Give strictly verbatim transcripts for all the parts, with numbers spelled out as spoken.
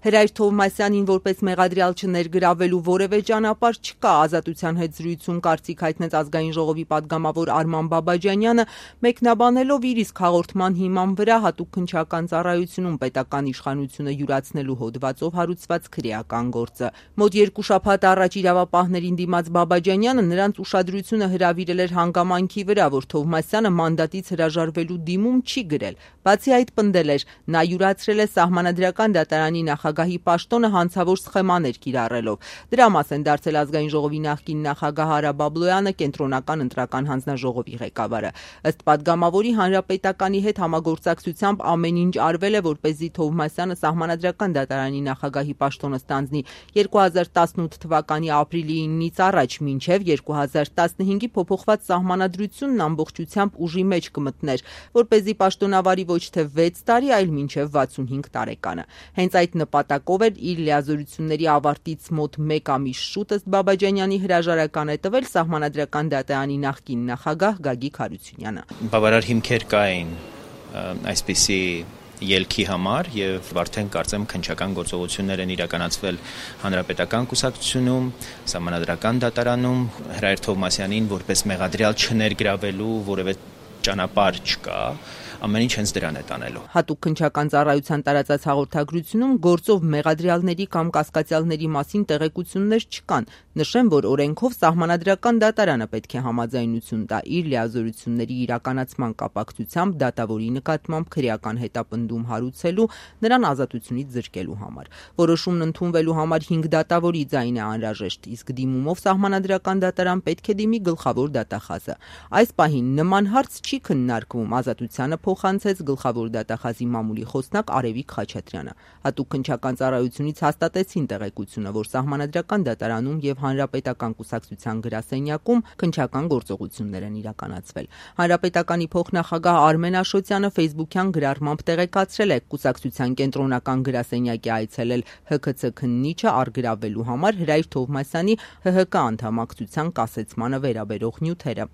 Հրայր Թովմասյանին որպես մեղադրյալ չներգրավելու որևէ ճանապարհ չկա, Ազատության հետ զրույցում կարծիք հայտնեց Ազգային ժողովի պատգամավոր Արման Բաբաջանյանը, մեկնաբանելով իր իսկ հաղորդման հիման վրա հատուկ քննչական ծառայությունում պետական իշխանությունը յուրացնելու հոդվածով հարուցված քրեական գործը։ Մոտ երկու շաբաթ առաջ իրավապահներին դիմաց Բաբաջանյանը նրանց ուշադրությունը հրավիրել էր հանգամանքի վրա, որ Թովմասյանը մանդատից հրաժարվելու դիմում չի գրել։ Բացի այդ, պնդել էր, նա յուրացրել է Սահմանադրական դատարանի նախագահի պաշտոնը հանցավոր սխեմաներ կիրառելով։ Դրա մաս են դարձել Ազգային ժողովի նախկին նախագահ Արա Բաբլոյանը, կենտրոնական ընտրական հանձնաժողովի ղեկավարը։ Ըստ պատգամավորի, հանրապետականի հետ համագործակցությամբ ամեն ինչ արվել է, որպեսզի Թովմասյանը Սահմանադրական դատարանի նախագահի պաշտոնը ստանձնի երկու հազար տասնութ թվականի ապրիլի իննից առաջ, մինչև երկու հազար տասնհինգի փոփոխված սահմանադրությունն ամբողջությամբ ուժի մեջ կմտներ, որպեսզի պաշտոնավարի ոչ թե վեց տարի, այլ մինչև վաթսունհինգ տարեկանը։ Հենց այդ նպատակով էր իր լիազորությունների ավարտից մոտ մեկ ամիս շուտ, ըստ Բաբաջանյանի, հրաժարական է տվել Սահմանադրական դատարանի նախկին նախագահ Գագիկ Հարությունյանը։ Բավարար հիմքեր կային այսպիսի ելքի համար եւ արդեն կարծեմ քննչական գործողություններ են իրականացվել հանրապետական կուսակցությունում, Սահմանադրական դատարանում, Հրայր Թովմասյանին որպես մեղադրյալ չներգրավելու որևէ ճանապարհ չկա, ամեն ինչ հենց դրան է տանելու։ Հատուկ քննչական ծառայության տարածած հաղորդագրությունում գործով մեղադրյալների կամ կասկածյալների մասին տեղեկություններ չկան։ Նշեմ, որ օրենքով Սահմանադրական դատարանը պետք է համաձայնություն տա իր լիազորությունների իրականացման կապակցությամբ դատավորի նկատմամբ քրեական հետապնդում հարուցելու, նրան ազատությունից զրկելու համար։ Որոշումն ընդունվելու համար հինգ դատավորի ձայն է անհրաժեշտ, իսկ դիմումով Սահմանադրական դատարան պետք է դիմի գլխավոր դատախազը։ Այս պահին նման հարց չի քննարկվում, Ազատությանը փոխանցեց գլխավոր դատախազի մամուլի խոսնակ Արևիկ Խաչատրյանը։ Հատուկ քննչական ծառայությունից հաստատեցին տեղեկությունը, որ Սահմանադրական դատարանում եւ Հանրապետական կուսակցության գրասենյակում քննչական գործողություններ են իրականացվել։ Հանրապետականի փոխնախագահ Արմեն Աշոտյանը Facebook-յան գրառմամբ տեղեկացրել է կուսակցության կենտրոնական գրասենյակի այցելել Հ K C քննիչը առգրավելու համար Հրայր Թովմասյանի Հ Հ K անդամակցության կասեցմանը վերաբերող նյութերը։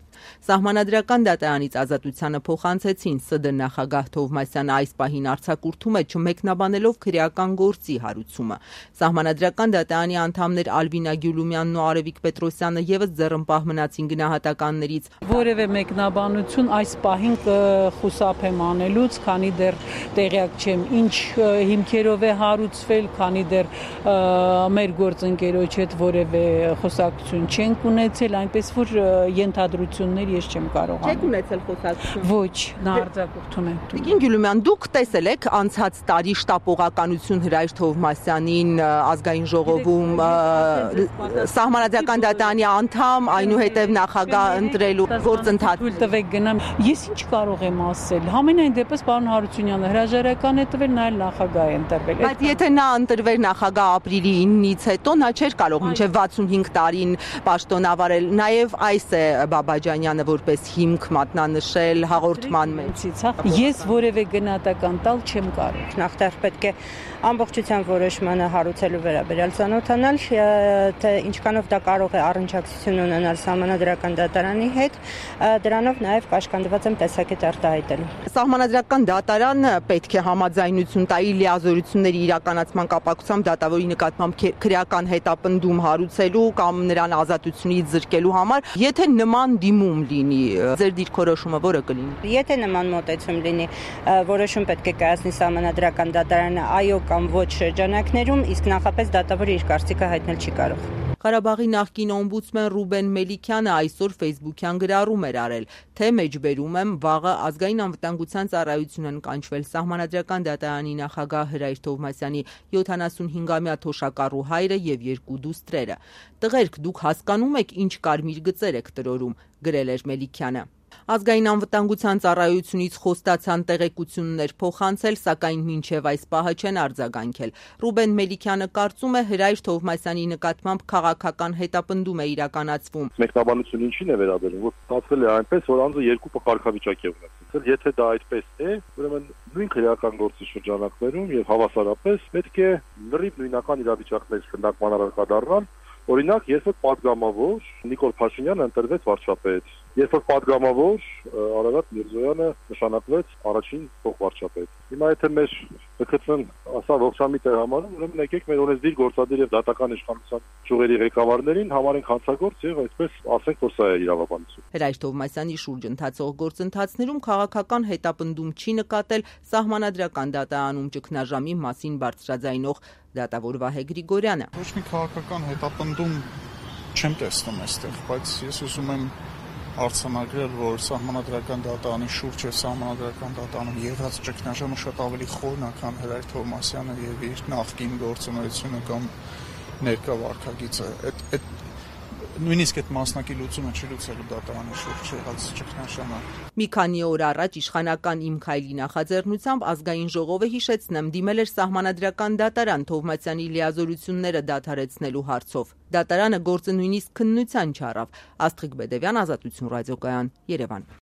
Սահմանադրական դատարանից Ազատությանը փոխանցեցին Ս D նախագահ Թովմասյանը այս պահին արձակուրդում է չմեկնաբանելով քրեական գործի հարուցումը։ Սահմանադրական դատարանի անդամներ Ալվինա Գյուլումյանն ու Արևիկ Պետրոսյանը եւս ձեռնպահ մնացին գնահատականներից։ Որևէ մեկնաբանություն այս պահին կխուսափեմ անելուց, քանի դեռ տեղյակ չեմ ինչ հիմքերով է հարուցվել, քանի դեռ մեր գործընկերոջ հետ որևէ խոսակցություն չենք ունեցել, այնպես որ ենթադրություններ ես չեմ կարող անել։ Չեք ունեցել խոսակցություն։ Ոչ, նա արձակուրդում է։ Տիկին Գյուլումյան, դուք տեսել եք անցած տարի շտապողականություն Հրայր Թովմասյանին Ազգային ժողովում Սահմանադրական դատարանի անդամ, այնուհետև նախագահ ընտրելու գործընթաց։ Թույլ տվեք գնամ։ Ես ինչ կարող եմ ասել։ Համենայն դեպս պարոն Հարությունյանը հրաժարական է տվել, նա էլ նախագահ է ընտրվել։ Բայց եթե նա ընտրվեր նախագահ ապրիլի իննից հետո, նա չէր կարող մինչև վաթսունհինգ տարին պաշտոնավարել։ Նաև այս է Բաբաջանյանը որպես հիմք մատնանշել հաղորդման մեջ։ Ես որևէ գնահատական տալ չեմ կարող։ Նախտար պետք է ամբողջությամբ որոշմանը հարուցելու վերաբերյալ ծանոթանալ, թե ինչքանով դա կարող է առնչակցություն ունենալ Սահմանադրական դատարանի հետ, դրանով նաև կաշկանդված եմ տեսակետ արտահայտելու։ Սահմանադրական դատարանը պետք է համաձայնություն տա իր լիազորությունների իրականացման կապակցությամբ դատավորի նկատմամբ քրեական հետապնդում հարուցելու կամ նրան ազատությունից զրկելու համար, եթե նման դիմում լինի, ձեր դիրքորոշումը որը կլինի։ Եթե նման մոտեցում լինի, որոշում պետք է կայացնի Սահմանադրական դատարանը այո կամ ոչ շրջանակներում, իսկ նախապես դատավորը իր կարծիքը հայտնել չի կարող։ Ղարաբաղի նախկին օմբուդսմեն Ռուբեն Մելիքյանը այսօր Facebook-յան գրառում էր արել, թե մեջբերում եմ վաղը Ազգային անվտանգության ծառայությունն կանչվել Սահմանադրական դատարանի նախագահ Հրայր Թովմասյանի յոթանասունհինգամյա թոշակառու հայրը եւ երկու դուստրերը։ Տղերք, դուք հասկանում եք ինչ կարմիր գծեր եք տրորում, գրել էր Մելիքյանը։ Ազգային անվտանգության ծառայությունից խոստացան տեղեկություններ փոխանցել, սակայն մինչև այս պահը չեն արձագանքել։ Ռուբեն Մելիքյանը կարծում է Հրայր Թովմասյանի նկատմամբ քաղաքական հետապնդում է իրականացվում։ Մեկնաբանությունը ինչին է վերաբերում, որ ստացվել է այնպես, որ անձը երկու կարգավիճակ է ունեցել։ Եթե դա այդպես է, ուրեմն նույն քրեական գործի շրջանակներում եւ հավասարապես պետք է լրիվ նույնական իրավիճակներ քննարկման առարկա դառնան։ Օրինակ, երբ պատգամավոր Նիկոլ Փաշինյանը ընտրվեց վարչապետ, երբ որ падգամավոր Արարատ Միրզոյանը նշանակվեց առաջին փոխվարչապետ։ Հիմա եթե մեր ՀՔՑ-ն ասա ողջամիտ է համարում, ուրեմն եկեք մեր օրենսդիր գործադիր եւ դատական իշխանության ճյուղերի ղեկավարներին համարենք հանցագործ եւ այսպես ասենք, որ սա է իրավաբանություն։ Հրայր Թովմասյանի շուրջ ընթացող գործընթացներում քաղաքական հետապնդում չի նկատել Սահմանադրական դատարանում ճգնաժամի մասին բարձրաձայնող դատավոր Վահե Գրիգորյանը։ Ոչ մի քաղաքական հետապնդում չեմ տեսնում այստեղ, բայց ես ուզում եմ արձանագրել, որ Սահմանադրական դատարանի շուրջ եւ Սահմանադրական դատարանում եղած ճգնաժամը շատ ավելի խորն է, քան Հրայր Թովմասյանը եւ իր նախկին գործունեությունը կամ ներկա վարքագիծը։ Այդ այդ նույնիսկ այդ մասնակի լուծումը չի լուծելու դատարանի շուրջ եղած ճգնաժամը։ Մի քանի օր առաջ իշխանական Իմ Քայլի նախաձեռնությամբ ազգային ժողովը, հիշեցնեմ, դիմել էր Սահմանադրական դատարան Թովմասյանի լիազորությունները դադարեցնելու հարցով։ Դատարանը գործը նույնիսկ քննության չառավ։ Աստղիկ Բեդևյան, Ազատություն ռադիոկայան, Երևան։